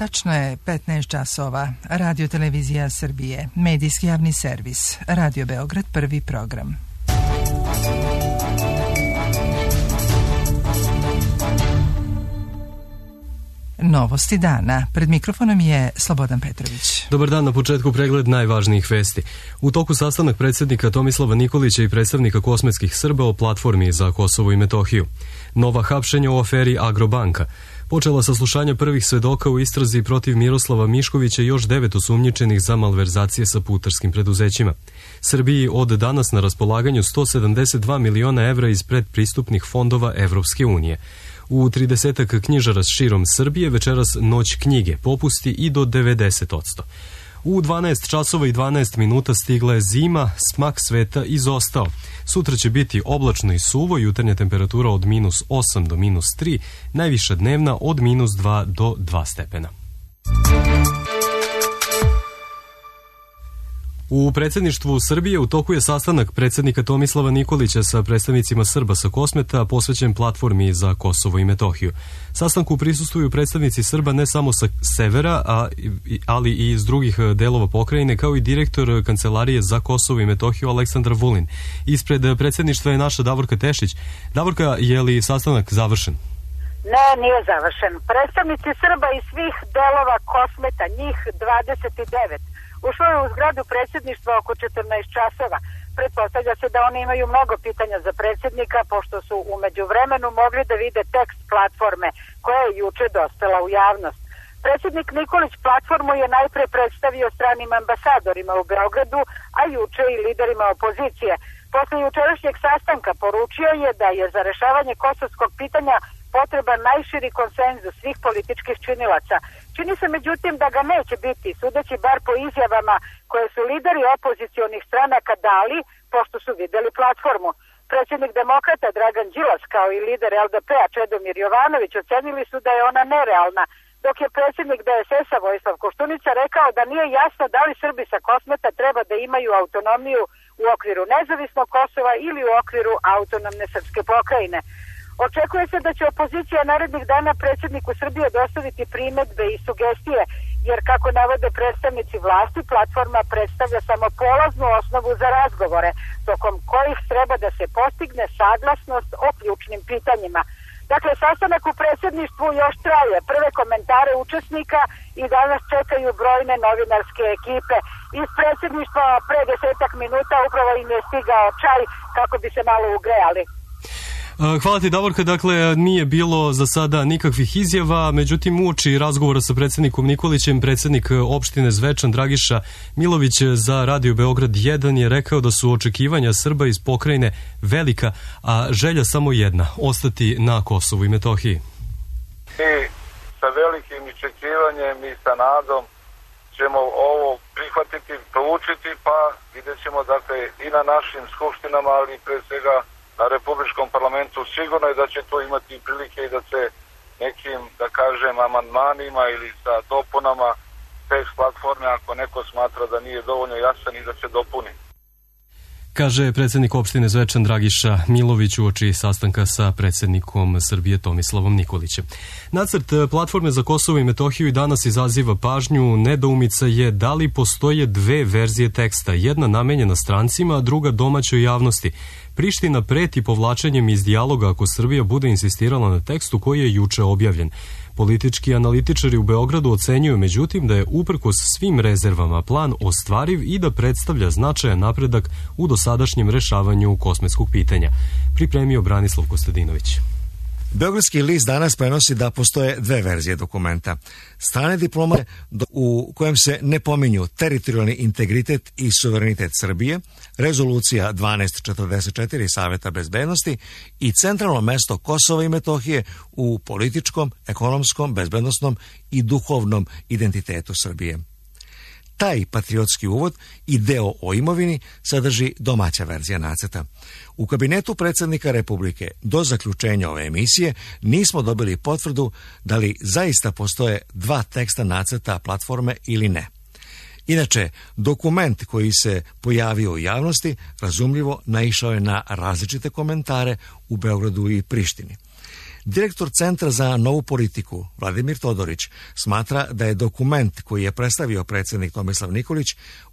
Tačno je 15 časova. Radio Televizija Srbije, medijski javni servis, Radio Beograd, prvi program. Novosti dana. Pred mikrofonom je Slobodan Petrović. Dobar dan, na početku pregled najvažnijih vesti. U toku sastanak predsjednika Tomislava Nikolića i predstavnika kosmetskih Srba o platformi za Kosovo i Metohiju. Nova hapšenja u aferi Agrobanka. Počela saslušanja prvih svedoka u istrazi protiv Miroslava Miškovića i još 9 osumnjičenih za malverzacije sa putarskim preduzećima. Srbiji od danas na raspolaganju 172 miliona evra iz predpristupnih fondova Evropske unije. U 30 knjižara širom Srbije večeras noć knjige, popusti i do 90%. U 12 časova i 12 minuta stigla je zima, smak sveta izostao. Sutra će biti oblačno i suvo, jutarnja temperatura od -8 do -3, najviša dnevna od -2 do 2 stepena. U predsjedništvu Srbije u toku je sastanak predsjednika Tomislava Nikolića sa predstavnicima Srba sa Kosmeta posvećen platformi za Kosovo i Metohiju. Sastanku prisustvuju predstavnici Srba ne samo sa severa, ali i iz drugih delova pokrajine, kao i direktor Kancelarije za Kosovo i Metohiju Aleksandar Vulin. Ispred predsjedništva je naša Davorka Tešić. Davorka, je li sastanak završen? Ne, nije završen. Predstavnici Srba iz svih delova Kosmeta, njih 29, ušlo je u zgradu predsjedništva oko 14 časova. Pretpostavlja se da oni imaju mnogo pitanja za predsjednika, pošto su umeđu vremenu mogli da vide tekst platforme koja je juče dospela u javnost. Predsjednik Nikolić platformu je najpre predstavio stranim ambasadorima u Beogradu, a juče i liderima opozicije. Posle jučerašnjeg sastanka poručio je da je za rešavanje kosovskog pitanja potreban najširi konsenzus svih političkih činilaca. Čini se međutim da ga neće biti, sudeći bar po izjavama koje su lideri opozicionih stranaka dali, pošto su videli platformu. Predsjednik demokrata Dragan Đilas kao i lider LDP-a Čedomir Jovanović ocenili su da je ona nerealna, dok je predsjednik DSS-a Vojislav Koštunica rekao da nije jasno da li Srbi sa Kosmeta treba da imaju autonomiju u okviru nezavisnog Kosova ili u okviru autonomne srpske pokrajine. Očekuje se da će opozicija narednih dana predsjedniku Srbije dostaviti primedbe i sugestije, jer kako navode predstavnici vlasti, platforma predstavlja samo polaznu osnovu za razgovore, tokom kojih treba da se postigne saglasnost o ključnim pitanjima. Dakle, sastanak u predsjedništvu još traje. Prve komentare učesnika i danas čekaju brojne novinarske ekipe. Iz predsjedništva pre 10 minuta upravo im je stigao čaj kako bi se malo ugrejali. Hvala ti, Davorka. Dakle, nije bilo za sada nikakvih izjava, međutim uoči razgovora sa predsjednikom Nikolićem, predsjednik opštine Zvečan Dragiša Milović za Radio Beograd 1 je rekao da su očekivanja Srba iz pokrajine velika, a želja samo jedna, ostati na Kosovu i Metohiji. Mi sa velikim očekivanjem i sa nadom ćemo ovo prihvatiti, proučiti, pa vidjet ćemo dakle i na našim skupštinama, ali pre svega na Republičkom parlamentu. Sigurno je da će to imati prilike i da se nekim, da kažem, amandmanima ili sa dopunama tekst platforme, ako neko smatra da nije dovoljno jasan, i da se dopuni. Kaže predsjednik opštine Zvečan Dragiša Milović uoči sastanka sa predsjednikom Srbije Tomislavom Nikolićem. Nacrt platforme za Kosovo i Metohiju i danas izaziva pažnju. Nedoumica je da li postoje dve verzije teksta, jedna namenjena strancima, a druga domaćoj javnosti. Priština preti povlačenjem iz dijaloga ako Srbija bude insistirala na tekstu koji je juče objavljen. Politički analitičari u Beogradu ocenjuju međutim da je uprkos svim rezervama plan ostvariv i da predstavlja značajan napredak u dosadašnjem rešavanju kosmetskog pitanja. Pripremio Branislav Kostadinović. Beogradski list danas prenosi da postoje dve verzije dokumenta. Strane diplomate u kojem se ne pominju teritorijalni integritet i suverenitet Srbije, rezolucija 1244 Saveta bezbednosti i centralno mesto Kosova i Metohije u političkom, ekonomskom, bezbednosnom i duhovnom identitetu Srbije. Taj patriotski uvod i deo o imovini sadrži domaća verzija nacrta. U kabinetu predsjednika Republike do zaključenja ove emisije nismo dobili potvrdu da li zaista postoje dva teksta nacrta platforme ili ne. Inače, dokument koji se pojavio u javnosti razumljivo naišao je na različite komentare u Beogradu i Prištini. Direktor Centra za novu politiku, Vladimir Todorić, smatra da je dokument koji je predstavio predsjednik Tomislav Nikolić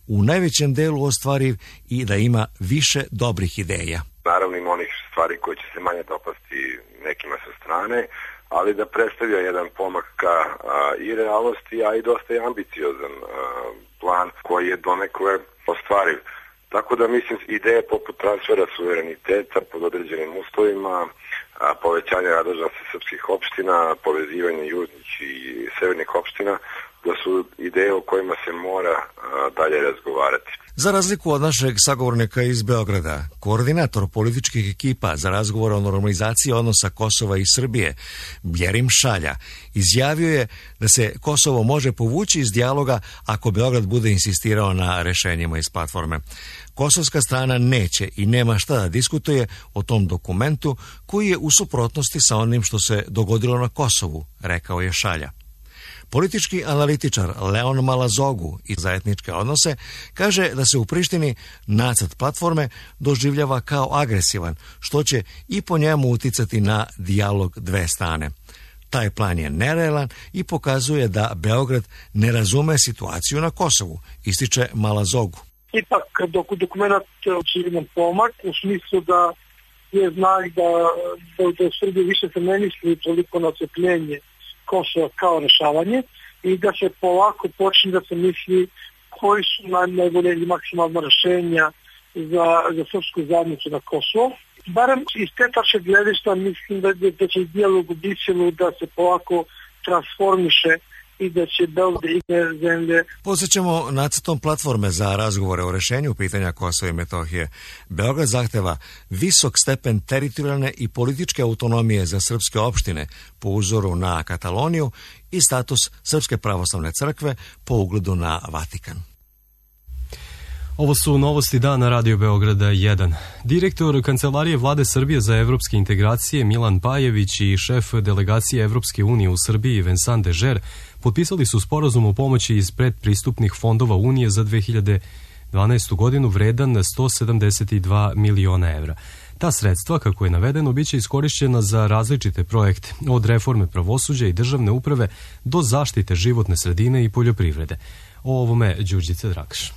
u najvećem delu ostvariv i da ima više dobrih ideja. Naravno ima onih stvari koje će se manje dopasti nekima sa strane, ali da predstavlja jedan pomak ka i realnosti, a i dosta je ambiciozan plan koji je donekle ostvariv. Tako da mislim ideje poput transfera suvereniteta pod određenim uslovima, povećanja nadležnosti srpskih opština, povezivanje južnih i severnih opština, da su ideje o kojima se mora dalje razgovarati. Za razliku od našeg sagovornika iz Beograda, koordinator političkih ekipa za razgovor o normalizaciji odnosa Kosova i Srbije, Bjerim Šalja, izjavio je da se Kosovo može povući iz dijaloga ako Beograd bude insistirao na rešenjima iz platforme. Kosovska strana neće i nema šta da diskutuje o tom dokumentu koji je u suprotnosti sa onim što se dogodilo na Kosovu, rekao je Šalja. Politički analitičar Leon Malazogu iz za etničke odnose kaže da se u Prištini nacrt platforme doživljava kao agresivan, što će i po njemu uticati na dijalog dve strane. Taj plan je nerealan i pokazuje da Beograd ne razume situaciju na Kosovu, ističe Malazogu. Ipak dokument očigledan pomak u smislu da je znak da u Srbiji više se ne misli toliko na ocepljenje Kosova kao rešavanje i da se polako počne da se misli koji su najbolje ili maksimalna rešenja za srpsku zajednicu na Kosovo. Barem iz te tačke gledišta mislim da će dijalog u Briselu da se polako transformiše i da će Beograd i zemlje. Posjećamo nacrtom platforme za razgovore o rešenju pitanja Kosova i Metohije. Beograd zahteva visok stepen teritorijalne i političke autonomije za srpske opštine po uzoru na Kataloniju i status Srpske pravoslavne crkve po ugledu na Vatikan. Ovo su novosti dana Radio Beograda 1. Direktor Kancelarije Vlade Srbije za evropske integracije Milan Pajević i šef delegacije Evropske unije u Srbiji Vincent Dežer potpisali su sporazum o pomoći iz predpristupnih fondova Unije za 2012. godinu vredan 172 miliona evra. Ta sredstva, kako je navedeno, biće iskorišćena za različite projekte, od reforme pravosuđa i državne uprave do zaštite životne sredine i poljoprivrede. O ovome Đurđica Drakaš.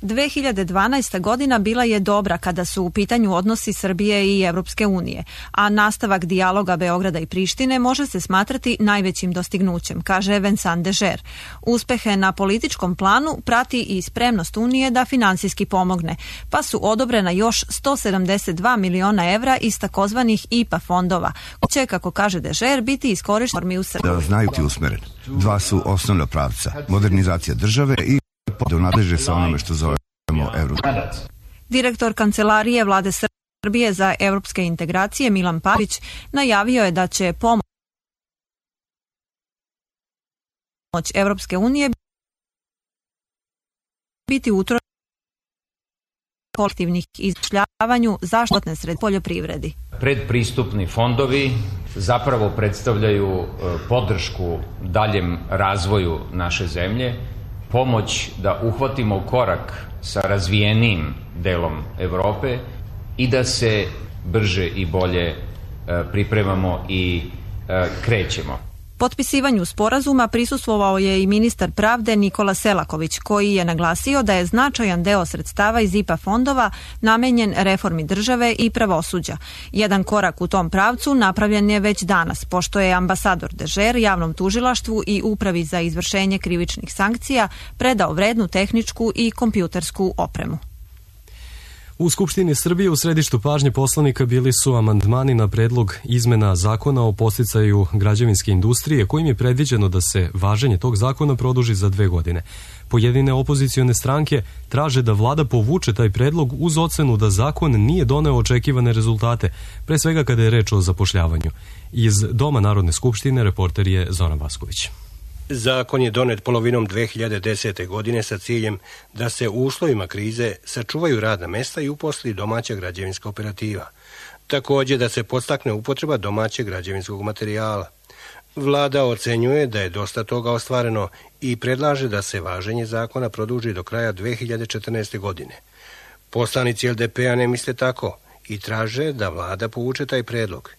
2012. godina bila je dobra kada su u pitanju odnosi Srbije i Evropske unije, a nastavak dijaloga Beograda i Prištine može se smatrati najvećim dostignućem, kaže Vincent Dežer. Uspehe na političkom planu prati i spremnost Unije da finansijski pomogne, pa su odobrena još 172 miliona evra iz takozvanih IPA fondova, koji će, kako kaže Dežer, biti iskorišteni u Srbiji. Da znaju ti usmeren. Dva su osnovna pravca, modernizacija države i da nadleže sa onome što zovemo Euro. Direktor Kancelarije Vlade Srbije za evropske integracije Milan Pajević najavio je da će pomoć Evropske unije biti utrošena kolektivnih izjašnjavanju zaštitne sredine poljoprivredi. Predpristupni fondovi zapravo predstavljaju podršku daljem razvoju naše zemlje, pomoć da uhvatimo korak sa razvijenim delom Evrope i da se brže i bolje pripremamo i krećemo. Potpisivanju sporazuma prisustvovao je i ministar pravde Nikola Selaković, koji je naglasio da je značajan deo sredstava iz IPA fondova namenjen reformi države i pravosuđa. Jedan korak u tom pravcu napravljen je već danas, pošto je ambasador Dežer javnom tužilaštvu i Upravi za izvršenje krivičnih sankcija predao vrednu tehničku i kompjutersku opremu. U Skupštini Srbije u središtu pažnje poslanika bili su amandmani na predlog izmena zakona o podsticaju građevinske industrije, kojim je predviđeno da se važenje tog zakona produži za 2 godine. Pojedine opozicione stranke traže da vlada povuče taj predlog uz ocenu da zakon nije doneo očekivane rezultate, pre svega kada je reč o zapošljavanju. Iz Doma Narodne skupštine reporter je Zoran Vasković. Zakon je donet polovinom 2010. godine sa ciljem da se u uslovima krize sačuvaju radna mesta i uposli domaća građevinska operativa. Također da se podstakne upotreba domaćeg građevinskog materijala. Vlada ocenjuje da je dosta toga ostvareno i predlaže da se važenje zakona produži do kraja 2014. godine. Poslanici LDP-a ne misle tako i traže da vlada povuče taj predlog.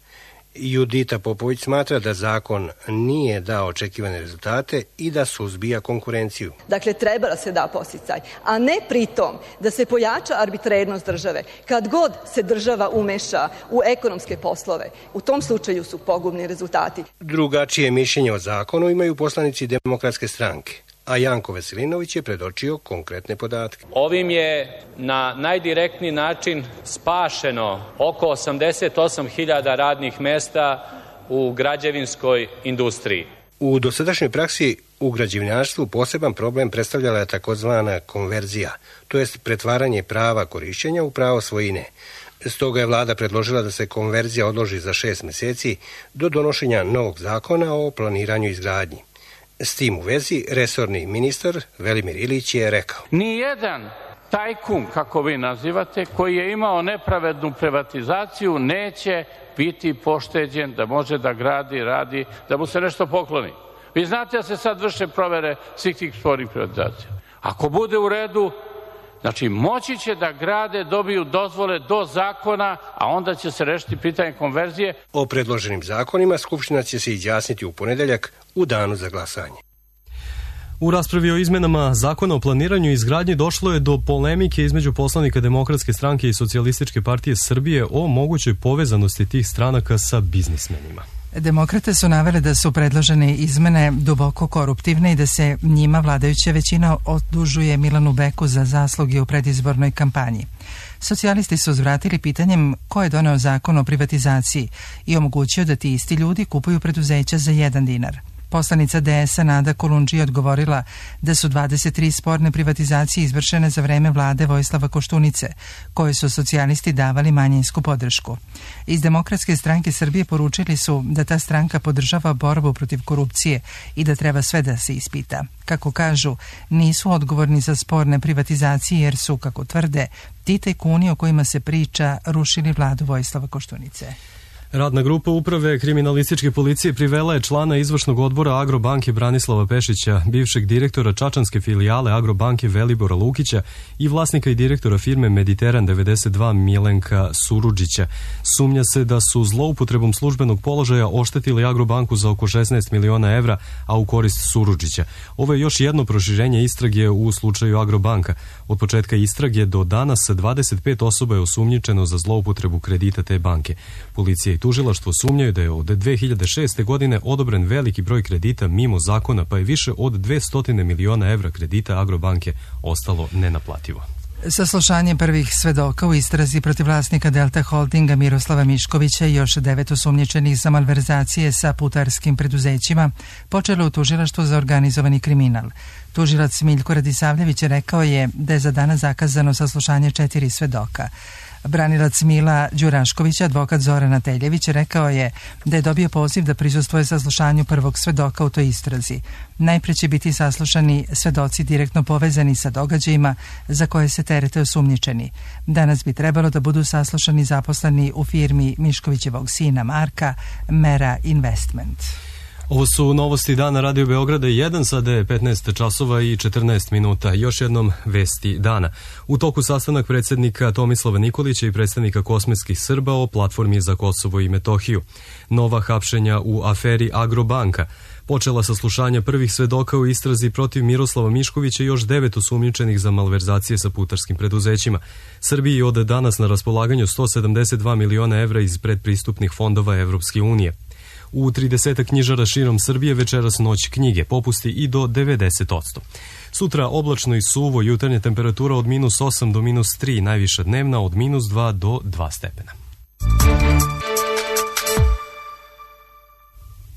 Judita Popović smatra da zakon nije dao očekivane rezultate i da suzbija konkurenciju. Dakle, treba da se da podsticaj, a ne pritom da se pojača arbitrarnost države. Kad god se država umeša u ekonomske poslove, u tom slučaju su pogubni rezultati. Drugačije mišljenje o zakonu imaju poslanici Demokratske stranke, a Janko Veselinović je predočio konkretne podatke. Ovim je na najdirektniji način spašeno oko 88.000 radnih mesta u građevinskoj industriji. U dosadašnjoj praksi u građevinarstvu poseban problem predstavljala je takozvana konverzija, to jest pretvaranje prava korišćenja u pravo svojine. Stoga je vlada predložila da se konverzija odloži za 6 meseci do donošenja novog zakona o planiranju i izgradnji. S tim u vezi, resorni ministar Velimir Ilić je rekao: nijedan tajkun, kako vi nazivate, koji je imao nepravednu privatizaciju, neće biti pošteđen da može da gradi, radi, da mu se nešto pokloni. Vi znate da se sad vrše provere svih tih spornih privatizacija. Ako bude u redu, znači moći će da grade, dobiju dozvole do zakona, a onda će se rešiti pitanje konverzije. O predloženim zakonima Skupština će se izjasniti u ponedeljak u danu za glasanje. U raspravi o izmenama zakona o planiranju i izgradnji došlo je do polemike između poslanika Demokratske stranke i Socijalističke partije Srbije o mogućoj povezanosti tih stranaka sa biznismenima. Demokrate su navele da su predložene izmene duboko koruptivne i da se njima vladajuća većina odužuje Milanu Beku za zasluge u predizbornoj kampanji. Socijalisti su uzvratili pitanjem ko je doneo zakon o privatizaciji i omogućio da ti isti ljudi kupuju preduzeća za 1 dinar. Poslanica DS-a Nada Kolundžija odgovorila da su 23 sporne privatizacije izvršene za vreme vlade Vojislava Koštunice, koje su socijalisti davali manjinsku podršku. Iz Demokratske stranke Srbije poručili su da ta stranka podržava borbu protiv korupcije i da treba sve da se ispita. Kako kažu, nisu odgovorni za sporne privatizacije jer su, kako tvrde, ti tajkuni o kojima se priča rušili vladu Vojislava Koštunice. Radna grupa uprave kriminalističke policije privela je člana izvršnog odbora Agrobanke Branislava Pešića, bivšeg direktora čačanske filijale Agrobanke Velibora Lukića i vlasnika i direktora firme Mediteran 92 Milenka Surudžića. Sumnja se da su zloupotrebom službenog položaja oštetili Agrobanku za oko 16 miliona evra, a u korist Surudžića. Ovo je još jedno proširenje istrage u slučaju Agrobanka. Od početka istrage do danas 25 osoba je osumnjičeno za zloupotrebu kredita te banke. Policija i tužilaštvo sumnjaju da je od 2006. godine odobren veliki broj kredita mimo zakona, pa je više od 200 miliona evra kredita Agrobanke ostalo nenaplativo. Saslušanje prvih svedoka u istrazi protiv vlasnika Delta Holdinga Miroslava Miškovića i još 9 osumnjičenih za malverzacije sa putarskim preduzećima počelo u tužilaštvu za organizovani kriminal. Tužilac Miljko Radisavljević rekao je da je za danas zakazano saslušanje 4 svedoka. Branilac Mila Đurašković, advokat Zorana Teljević, rekao je da je dobio poziv da prisustvuje saslušanju prvog svedoka u toj istrazi. Najpre će biti saslušani svedoci direktno povezani sa događajima za koje se terete osumnjičeni. Danas bi trebalo da budu saslušani zaposleni u firmi Miškovićevog sina Marka, Mera Investment. Ovo su novosti dana Radio Beograda 1, sada je 15 časova i 14 minuta. Još jednom vesti dana. U toku sastanak predsjednika Tomislava Nikolića i predstavnika kosmetskih Srba o platformi za Kosovo i Metohiju. Nova hapšenja u aferi Agrobanka. Počela saslušanja prvih svedoka u istrazi protiv Miroslava Miškovića i još 9 osumnjičenih za malverzacije sa putarskim preduzećima. Srbiji od danas na raspolaganju 172 miliona evra iz predpristupnih fondova Evropske unije. U 30 knjižara širom Srbije večeras noć knjige, popusti i do 90%. Sutra oblačno i suvo, jutarnja temperatura od -8 do -3, najviša dnevna od -2 do 2 stepena.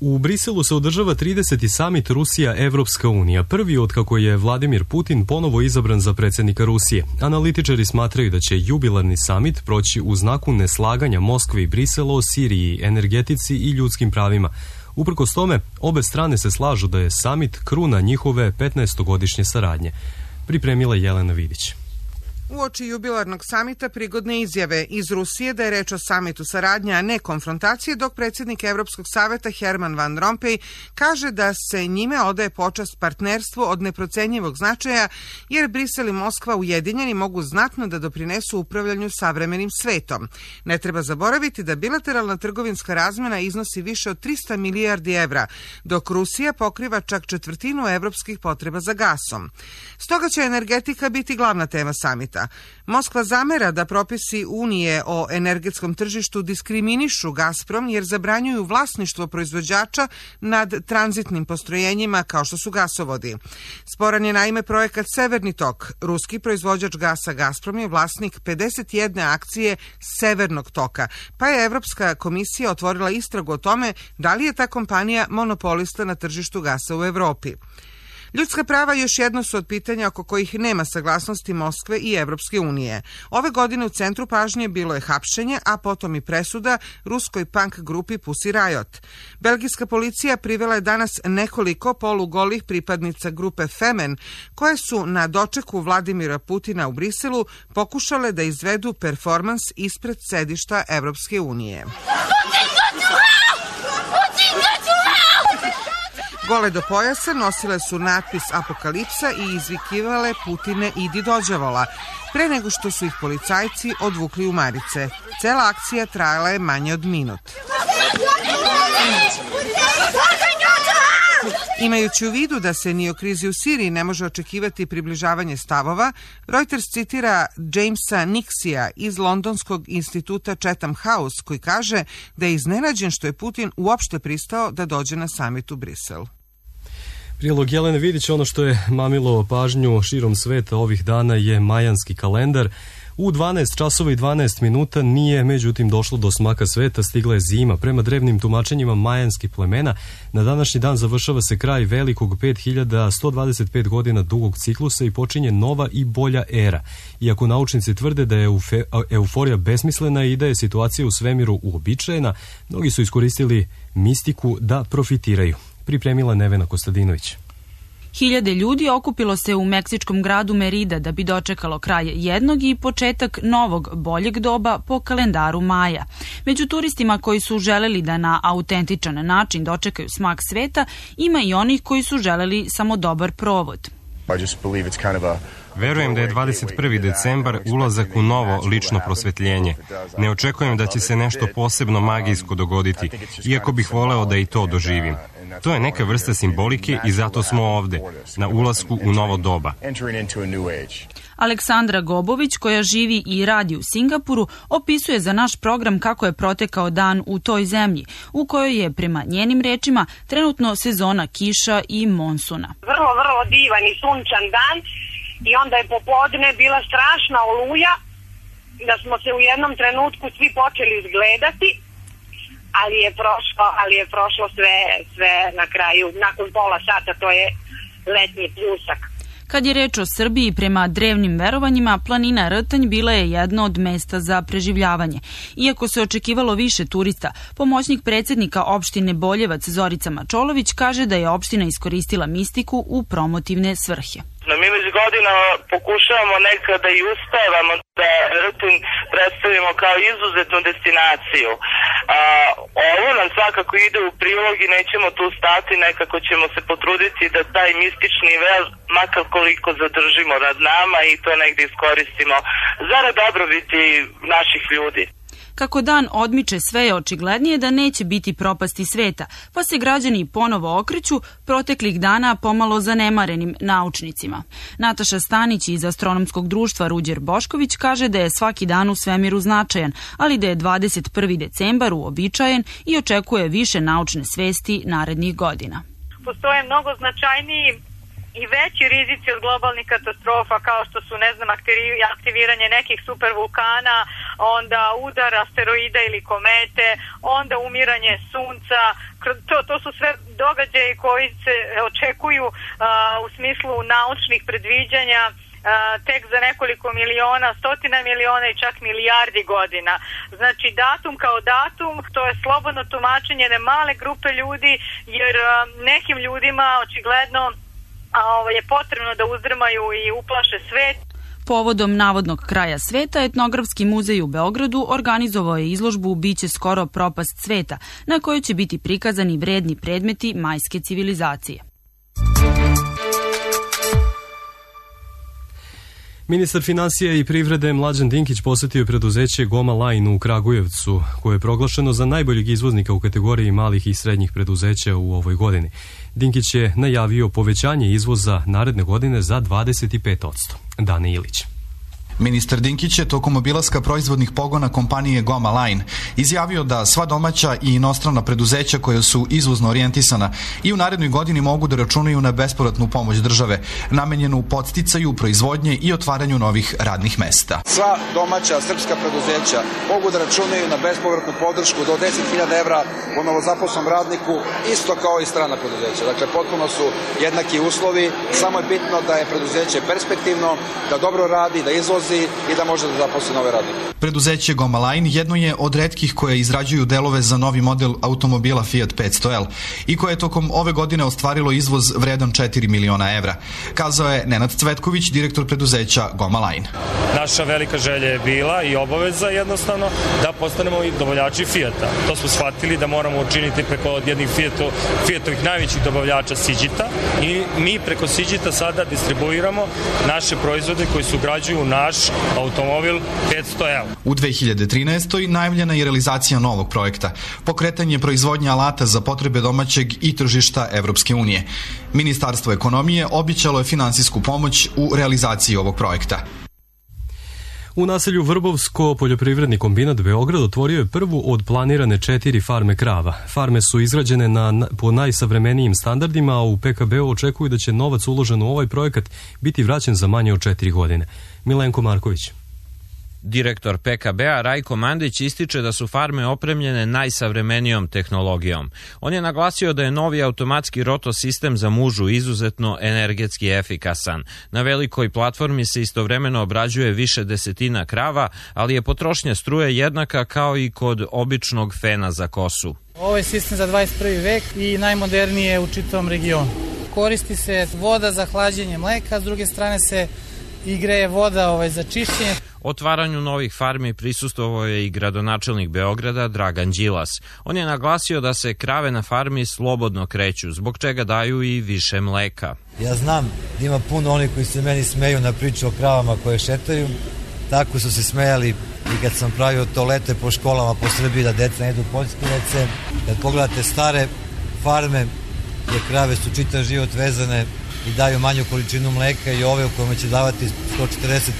U Briselu se održava 30. samit Rusija-Evropska unija, prvi od kako je Vladimir Putin ponovo izabran za predsjednika Rusije. Analitičari smatraju da će jubilarni samit proći u znaku neslaganja Moskve i Brisela o Siriji, energetici i ljudskim pravima. Uprkos tome, obe strane se slažu da je samit kruna njihove 15-godišnje saradnje. Pripremila Jelena Vidić. Uoči jubilarnog samita prigodne izjave iz Rusije da je reč o samitu saradnje, a ne konfrontacije, dok predsjednik Evropskog saveta Herman Van Rompuy kaže da se njime odaje počast partnerstvu od neprocenjivog značaja, jer Brisel i Moskva ujedinjeni mogu znatno da doprinesu upravljanju savremenim svetom. Ne treba zaboraviti da bilateralna trgovinska razmena iznosi više od 300 milijardi evra, dok Rusija pokriva čak četvrtinu evropskih potreba za gasom. Stoga će energetika biti glavna tema samita. Moskva zamera da propisi Unije o energetskom tržištu diskriminišu Gazprom jer zabranjuju vlasništvo proizvođača nad tranzitnim postrojenjima kao što su gasovodi. Sporan je naime projekat Severni tok. Ruski proizvođač gasa Gazprom je vlasnik 51 akcije Severnog toka, pa je Evropska komisija otvorila istragu o tome da li je ta kompanija monopolista na tržištu gasa u Evropi. Ljudska prava još jedno su od pitanja oko kojih nema saglasnosti Moskve i Evropske unije. Ove godine u centru pažnje bilo je hapšenje, a potom i presuda ruskoj punk grupi Pussy Riot. Belgijska policija privela je danas nekoliko polugolih pripadnica grupe Femen, koje su na dočeku Vladimira Putina u Briselu pokušale da izvedu performans ispred sedišta Evropske unije. Gole do pojasa nosile su natpis Apokalipsa i izvikivale Putine idi dođavola, pre nego što su ih policajci odvukli u marice. Cela akcija trajala je manje od minut. Imajući u vidu da se ni o krizi u Siriji ne može očekivati približavanje stavova, Reuters citira Jamesa Nixija iz Londonskog instituta Chatham House, koji kaže da je iznenađen što je Putin uopšte pristao da dođe na samit u Brisel. Prilog Jelene Vidić, ono što je mamilo pažnju širom sveta ovih dana je majanski kalendar. U 12 časova i 12 minuta nije međutim došlo do smaka sveta, stigla je zima. Prema drevnim tumačenjima majanskih plemena, na današnji dan završava se kraj velikog 5125 godina dugog ciklusa i počinje nova i bolja era. Iako naučnici tvrde da je euforija besmislena i da je situacija u svemiru uobičajena, mnogi su iskoristili mistiku da profitiraju. Pripremila Nevena Kostadinović. Hiljade ljudi okupilo se u meksičkom gradu Merida da bi dočekalo kraj jednog i početak novog, boljeg doba po kalendaru Maja. Među turistima koji su želeli da na autentičan način dočekaju smak sveta, ima i onih koji su želeli samo dobar provod. Verujem da je 21. decembar ulazak u novo lično prosvetljenje. Ne očekujem da će se nešto posebno magijsko dogoditi, iako bih voleo da i to doživim. To je neka vrsta simbolike i zato smo ovde, na ulasku u novo doba. Aleksandra Gobović, koja živi i radi u Singapuru, opisuje za naš program kako je protekao dan u toj zemlji, u kojoj je, prema njenim rečima, trenutno sezona kiša i monsuna. Vrlo divan i sunčan dan i onda je popodne bila strašna oluja, da smo se u jednom trenutku svi počeli izgledati, ali je prošlo sve na kraju, nakon pola sata, to je letnji pljusak. Kad je reč o Srbiji, prema drevnim verovanjima, planina Rtanj bila je jedno od mesta za preživljavanje. Iako se očekivalo više turista, pomoćnik predsjednika opštine Boljevac Zorica Mačolović kaže da je opština iskoristila mistiku u promotivne svrhe. Mi već godinama pokušavamo nekada i uspevamo da Rtanj predstavimo kao izuzetnu destinaciju. Ovo nam svakako ide u prilog i nećemo tu stati, nekako ćemo se potruditi da taj mistični vel makar koliko zadržimo nad nama i to negdje iskoristimo zarad dobrobiti naših ljudi. Kako dan odmiče, sve je očiglednije da neće biti propasti sveta, pa se građani ponovo okreću proteklih dana pomalo zanemarenim naučnicima. Nataša Stanić iz Astronomskog društva Ruđer Bošković kaže da je svaki dan u svemiru značajan, ali da je 21. decembar uobičajen i očekuje više naučne svesti narednih godina. Postoje mnogo značajniji i veći rizici od globalnih katastrofa, kao što su, aktiviranje nekih supervulkana, onda udar asteroida ili komete, onda umiranje sunca. To su sve događaji koji se očekuju u smislu naučnih predviđanja tek za nekoliko miliona, stotina miliona i čak milijardi godina. Znači, datum kao datum, to je slobodno tumačenje ne male grupe ljudi, jer nekim ljudima očigledno je potrebno da uzdrmaju i uplaše svet. Povodom navodnog kraja sveta, Etnografski muzej u Beogradu organizovao je izložbu Biće skoro propast sveta, na kojoj će biti prikazani vredni predmeti majske civilizacije. Ministar finansija i privrede Mlađan Dinkić posetio je preduzeće Goma Line u Kragujevcu, koje je proglašeno za najboljeg izvoznika u kategoriji malih i srednjih preduzeća u ovoj godini. Dinkić je najavio povećanje izvoza naredne godine za 25%. Dane Ilić. Ministar Dinkić je tokom obilaska proizvodnih pogona kompanije Goma Line izjavio da sva domaća i inostrana preduzeća koja su izvozno orijentisana i u narednoj godini mogu da računaju na bespovratnu pomoć države, namenjenu podsticaju proizvodnje i otvaranju novih radnih mesta. Sva domaća srpska preduzeća mogu da računaju na bespovratnu podršku do 10.000 evra po novozaposlenom radniku, isto kao i strana preduzeća. Dakle, potpuno su jednaki uslovi, samo je bitno da je preduzeće perspektivno, da dobro radi, da izvozi i da može da zaposli nove radnike. Preduzeće Goma Line jedno je od retkih koje izrađuju delove za novi model automobila Fiat 500L i koje je tokom ove godine ostvarilo izvoz vredan 4 miliona evra, kazao je Nenad Cvetković, direktor preduzeća Goma Line. Naša velika želja je bila i obaveza jednostavno da postanemo i dobavljači Fiata. To smo shvatili da moramo učiniti preko jednih Fiatovih najvećih dobavljača Siđita i mi preko Siđita sada distribuiramo naše proizvode koji se ugrađuju u naš automobil 500L. U 2013. najavljena je realizacija novog projekta, pokretanje proizvodnje alata za potrebe domaćeg i tržišta Evropske unije. Ministarstvo ekonomije obećalo je finansijsku pomoć u realizaciji ovog projekta. U naselju Vrbovsko poljoprivredni kombinat Beograd otvorio je prvu od planirane 4 farme krava. Farme su izgrađene po najsavremenijim standardima, a u PKB-u očekuju da će novac uložen u ovaj projekat biti vraćen za manje od 4 godine. Milenko Marković. Direktor PKB-a Rajko Mandić ističe da su farme opremljene najsavremenijom tehnologijom. On je naglasio da je novi automatski rotosistem za mužu izuzetno energetski efikasan. Na velikoj platformi se istovremeno obrađuje više desetina krava, ali je potrošnja struje jednaka kao i kod običnog fena za kosu. Ovo je sistem za 21. vek i najmoderniji je u čitavom regionu. Koristi se voda za hlađenje mleka, s druge strane se i greje voda za čišćenje. Otvaranju novih farmi prisustvovao je i gradonačelnik Beograda Dragan Đilas. On je naglasio da se krave na farmi slobodno kreću, zbog čega daju i više mleka. Ja znam da ima puno onih koji se meni smeju na priču o kravama koje šetaju. Tako su se smejali i kad sam pravio toalete po školama po Srbiji da deca ne idu poljskilice. Kad pogledate stare farme gdje krave su čitav život vezane i daju manju količinu mleka i ove u kojima će davati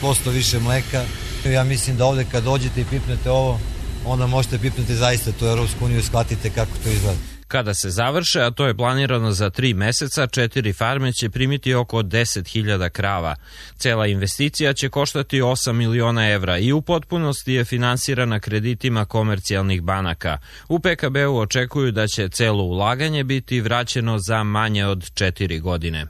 140% više mleka. Ja mislim da ovde kad dođete i pipnete ovo, onda možete pipnuti zaista tu Europsku uniju i shvatite kako to izgleda. Kada se završe, a to je planirano za 3 meseca, 4 farme će primiti oko 10.000 krava. Cela investicija će koštati 8 miliona evra i u potpunosti je finansirana kreditima komercijalnih banaka. U PKB-u očekuju da će celo ulaganje biti vraćeno za manje od 4 godine.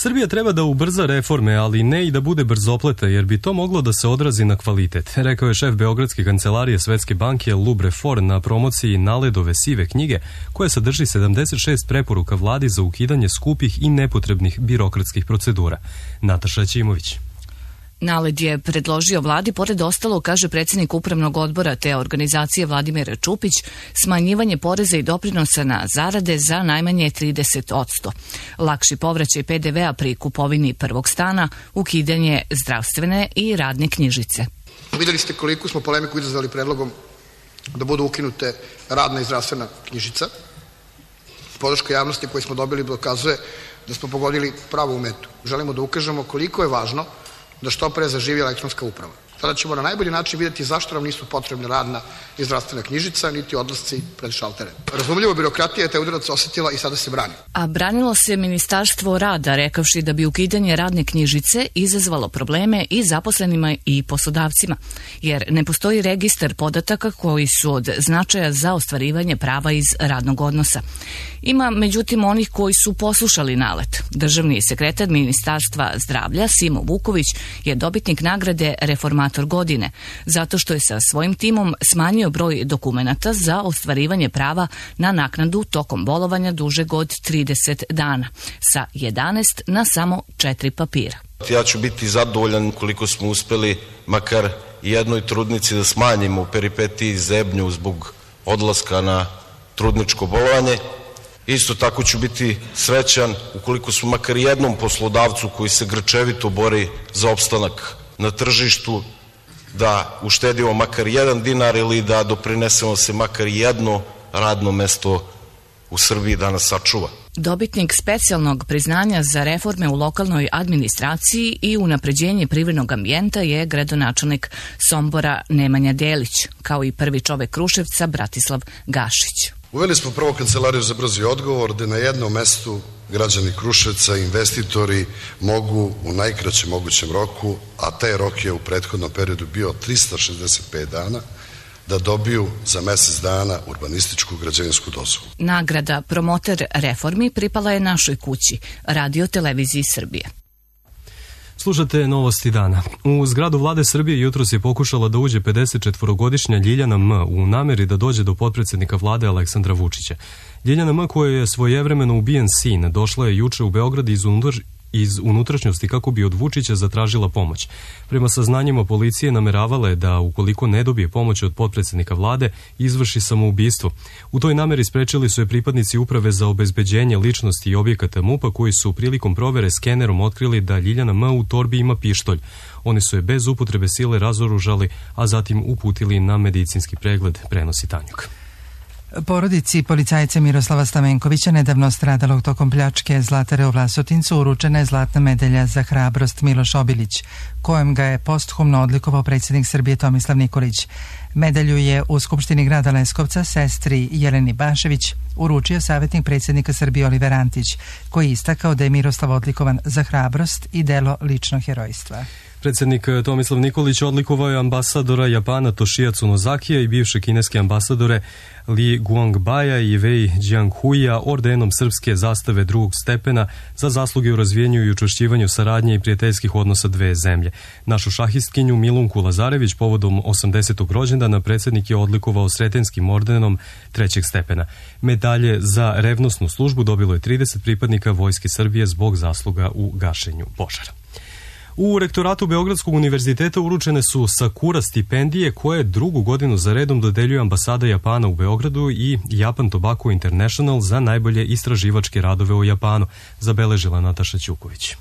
Srbija treba da ubrza reforme, ali ne i da bude brzopleta, jer bi to moglo da se odrazi na kvalitet, rekao je šef Beogradske kancelarije Svetske banke Lub Refor na promociji Naledove sive knjige, koja sadrži 76 preporuka vladi za ukidanje skupih i nepotrebnih birokratskih procedura. Nataša Ćimović. Naled je predložio vladi, pored ostalo, kaže predsjednik upravnog odbora te organizacije Vladimir Čupić, smanjivanje poreza i doprinosa na zarade za najmanje 30%. Lakši povraćaj PDV-a pri kupovini prvog stana, ukidanje zdravstvene i radne knjižice. Vidjeli ste koliko smo polemiku izazvali predlogom da budu ukinute radna i zdravstvena knjižica. Podrška javnosti koju smo dobili dokazuje da smo pogodili pravu metu. Želimo da ukažemo koliko je važno da što pre zaživi elektronska uprava. Tada ćemo na najbolji način vidjeti zašto nam nisu potrebne radna i zdravstvena knjižica, niti odlasci pred šaltere. Razumljivo, birokratija je taj udarac osetila i sada se brani. A branilo se Ministarstvo rada, rekavši da bi ukidanje radne knjižice izazvalo probleme i zaposlenima i poslodavcima, jer ne postoji registar podataka koji su od značaja za ostvarivanje prava iz radnog odnosa. Ima, međutim, onih koji su poslušali nalet. Državni sekretar Ministarstva zdravlja Simo Vuković je dobitnik nagrade Reformator godine, zato što je sa svojim timom smanjio broj dokumenata za ostvarivanje prava na naknadu tokom bolovanja dužeg od 30 dana, sa 11 na samo 4 papira. Ja ću biti zadovoljan koliko smo uspeli makar jednoj trudnici da smanjimo peripetiji zebnju zbog odlaska na trudničko bolovanje. Isto tako ću biti srećan ukoliko smo makar jednom poslodavcu koji se grčevito bori za opstanak na tržištu da uštedimo makar 1 dinar ili da doprinesemo se makar jedno radno mesto u Srbiji da nas sačuva. Dobitnik specijalnog priznanja za reforme u lokalnoj administraciji i unapređenje privrednog ambijenta je gradonačelnik Sombora Nemanja Delić, kao i prvi čovek Kruševca Bratislav Gašić. Uveli smo prvo kancelariju za brzi odgovor, gde na jednom mestu građani Kruševca i investitori mogu u najkraćem mogućem roku, a taj rok je u prethodnom periodu bio 365 dana, da dobiju za mesec dana urbanističku građevinsku dozvolu. Nagrada Promoter reformi pripala je Našoj kući, Radio televiziji Srbije. Slušate novosti dana. U zgradu vlade Srbije jutros je pokušala da uđe 54-godišnja Ljiljana M. u nameri da dođe do potpredsednika vlade Aleksandra Vučića. Ljiljana M. koja je svojevremeno ubijen sin, došla je juče u Beograd iz unutrašnjosti kako bi od Vučića zatražila pomoć. Prema saznanjima policije nameravala je da, ukoliko ne dobije pomoć od potpredsednika vlade, izvrši samoubistvo. U toj nameri sprečili su je pripadnici Uprave za obezbeđenje ličnosti i objekata MUP-a koji su prilikom provere skenerom otkrili da Ljiljana M. u torbi ima pištolj. Oni su je bez upotrebe sile razoružali, a zatim uputili na medicinski pregled, prenosi Tanjuk. Porodici policajca Miroslava Stamenkovića, nedavno stradalog tokom pljačke Zlatare u Vlasotincu, uručena je zlatna medalja za hrabrost Miloš Obilić, kojem ga je posthumno odlikovao predsjednik Srbije Tomislav Nikolić. Medalju je u Skupštini grada Leskovca sestri Jeleni Bašević uručio savjetnik predsjednika Srbije Oliver Antić, koji je istakao da je Miroslav odlikovan za hrabrost i delo ličnog herojstva. Predsjednik Tomislav Nikolić odlikovao je ambasadora Japana Toshiatsu Nozakija i bivše kineske ambasadore Li Guangbaja i Wei Jianghuia ordenom srpske zastave drugog stepena za zasluge u razvijenju i učvršćivanju saradnje i prijateljskih odnosa dve zemlje. Našu šahistkinju Milunku Lazarević povodom 80. rođendana predsjednik je odlikovao Sretenskim ordenom trećeg stepena. Medalje za revnosnu službu dobilo je 30 pripadnika Vojske Srbije zbog zasluga u gašenju požara. U rektoratu Beogradskog univerziteta uručene su Sakura stipendije koje drugu godinu za redom dodeljuje ambasada Japana u Beogradu i Japan Tobacco International za najbolje istraživačke radove o Japanu, zabeležila Nataša Ćuković.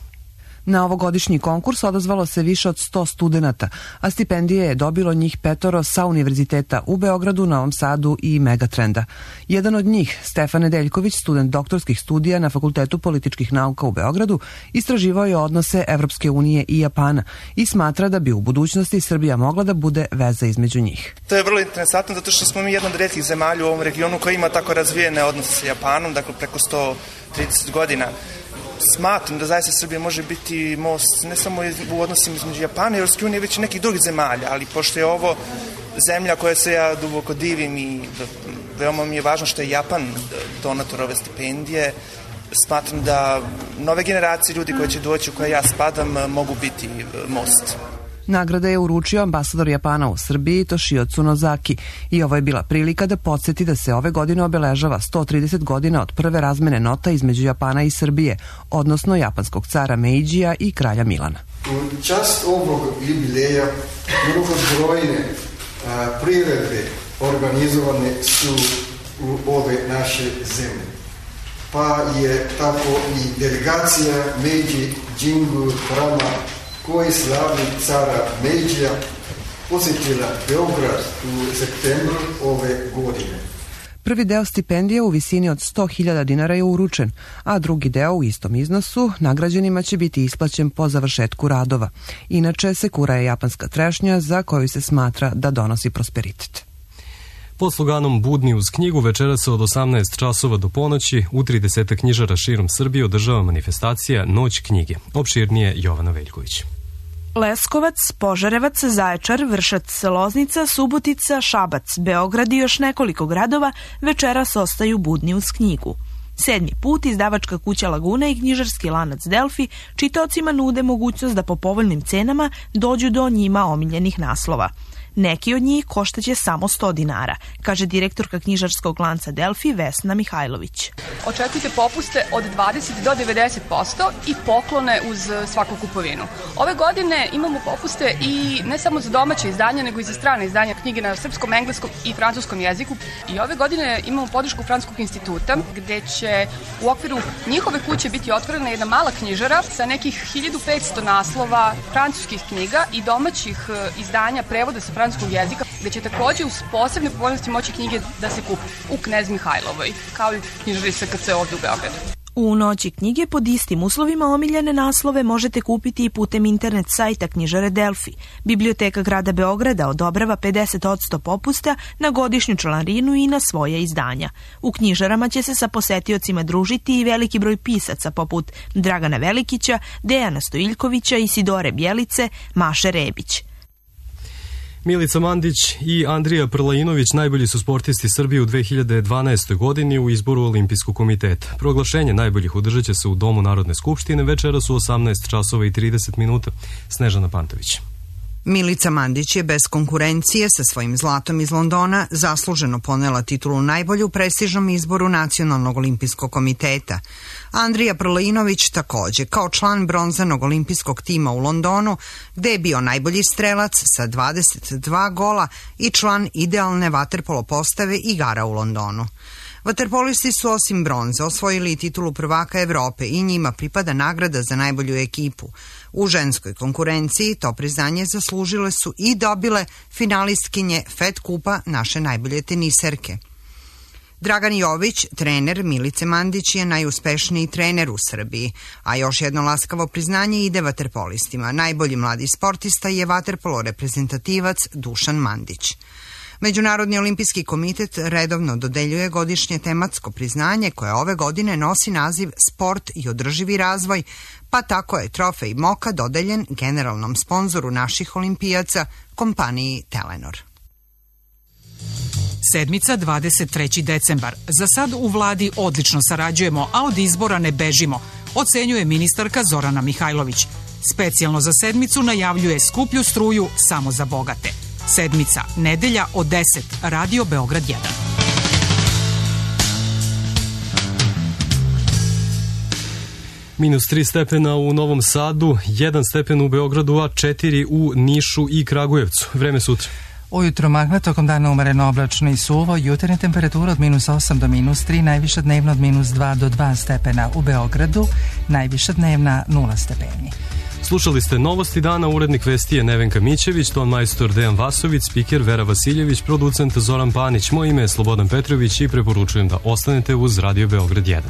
Na ovogodišnji konkurs odazvalo se više od 100 studenata, a stipendije je dobilo njih 5 sa univerziteta u Beogradu, Novom Sadu i Megatrenda. Jedan od njih, Stefan Nedeljković, student doktorskih studija na Fakultetu političkih nauka u Beogradu, istraživao je odnose Evropske unije i Japana i smatra da bi u budućnosti Srbija mogla da bude veza između njih. To je vrlo interesantno zato što smo mi jedna od retkih zemalja u ovom regionu koja ima tako razvijene odnose sa Japanom, dakle preko 130 godina. Smatram da zaista Srbija može biti most ne samo u odnosima između Japana i Evropske unije, već i nekih drugih zemalja, ali pošto je ovo zemlja koja se ja duboko divim i veoma mi je važno što je Japan donator ove stipendije, smatram da nove generacije ljudi koje će doći u koje ja spadam mogu biti most. Nagrada je uručio ambasador Japana u Srbiji Toshiatsu Nozaki i ovo je bila prilika da podsjeti da se ove godine obeležava 130 godina od prve razmene nota između Japana i Srbije, odnosno japanskog cara Meidžija i kralja Milana. U čast ovog jubileja mnogobrojne priredbe organizovane su u ove naše zemlje. Pa je tako i delegacija Meidži Jingu Rama koji slavi cara Meidžija posjetila Beograd u septembru ove godine. Prvi deo stipendije u visini od 100.000 dinara je uručen, a drugi deo u istom iznosu nagrađenima će biti isplaćen po završetku radova. Inače, sekura je japanska trešnja za koju se smatra da donosi prosperitet. Pod sloganom Budni uz knjigu večeras od 18 časova do ponoći u 30 knjižara širom Srbije održava manifestacija Noć knjige. Opširnije Jovana Veljković. Leskovac, Požarevac, Zaječar, Vršac, Loznica, Subotica, Šabac, Beograd i još nekoliko gradova večeras ostaju budni uz knjigu. 7. put izdavačka kuća Laguna i knjižarski lanac Delfi čitaocima nude mogućnost da po povoljnim cenama dođu do njima omiljenih naslova. Neki od njih koštaće samo 100 dinara, kaže direktorka knjižarskog lanca Delfi Vesna Mihajlović. Očekujte popuste od 20 do 90% i poklone uz svaku kupovinu. Ove godine imamo popuste i ne samo za domaće izdanja, nego i za strane izdanja knjige na srpskom, engleskom i francuskom jeziku. I ove godine imamo podršku Francuskog instituta, gde će u okviru njihove kuće biti otvorena jedna mala knjižara sa nekih 1500 naslova francuskih knjiga i domaćih izdanja prevoda sa francuskog jezika, gde će takođe uz posebne povoljnosti moći knjige da se kupe u Knez Mihajlovoj, kao i knjižari SKC ovde u Beogradu. U noći knjige pod istim uslovima omiljene naslove možete kupiti i putem internet sajta knjižare Delfi. Biblioteka grada Beograda odobrava 50% popusta na godišnju članarinu i na svoje izdanja. U knjižarama će se sa posetiocima družiti i veliki broj pisaca poput Dragana Velikića, Dejana Stojiljkovića, Isidore Bjelice, Maše Rebić. Milica Mandić i Andrija Prlajinović najbolji su sportisti Srbije u 2012. godini u izboru Olimpijskog komiteta. Proglašenje najboljih održat će se u Domu Narodne skupštine večeras u 18 časova i 30 minuta. Snežana Pantović. Milica Mandić je bez konkurencije sa svojim zlatom iz Londona zasluženo ponela titulu najbolju u prestižnom izboru Nacionalnog olimpijskog komiteta. Andrija Prlajinović takođe, kao član bronzanog olimpijskog tima u Londonu, gde je bio najbolji strelac sa 22 gola i član idealne vaterpolo postave igara u Londonu. Vaterpolisti su osim bronze osvojili titulu prvaka Evrope i njima pripada nagrada za najbolju ekipu. U ženskoj konkurenciji to priznanje zaslužile su i dobile finalistkinje Fed kupa naše najbolje teniserke. Dragan Jović, trener Milice Mandić, je najuspešniji trener u Srbiji, a još jedno laskavo priznanje ide vaterpolistima. Najbolji mladi sportista je vaterpolo reprezentativac Dušan Mandić. Međunarodni olimpijski komitet redovno dodeljuje godišnje tematsko priznanje koje ove godine nosi naziv Sport i održivi razvoj, pa tako je trofej Moka dodeljen generalnom sponzoru naših olimpijaca, kompaniji Telenor. Sedmica 23. decembar. Za sad u vladi odlično sarađujemo, a od izbora ne bežimo, ocenjuje ministarka Zorana Mihajlović. Specijalno za sedmicu najavljuje skuplju struju samo za bogate. Sedmica, nedelja od 10, Radio Beograd 1. Minus 3 stepena u Novom Sadu, 1 stepen u Beogradu, a 4 u Nišu i Kragujevcu. Vreme sutra. Ujutro magla, tokom dana umereno oblačno i suvo, jutarnja temperatura od minus 8 do minus 3, najviša dnevna od minus 2 do 2 stepena u Beogradu, najviša dnevna 0 stepeni. Slušali ste Novosti dana, urednik vesti je Nevenka Mićević, ton majstor Dejan Vasović, spiker Vera Vasiljević, producent Zoran Panić. Moje ime je Slobodan Petrović i preporučujem da ostanete uz Radio Beograd 1.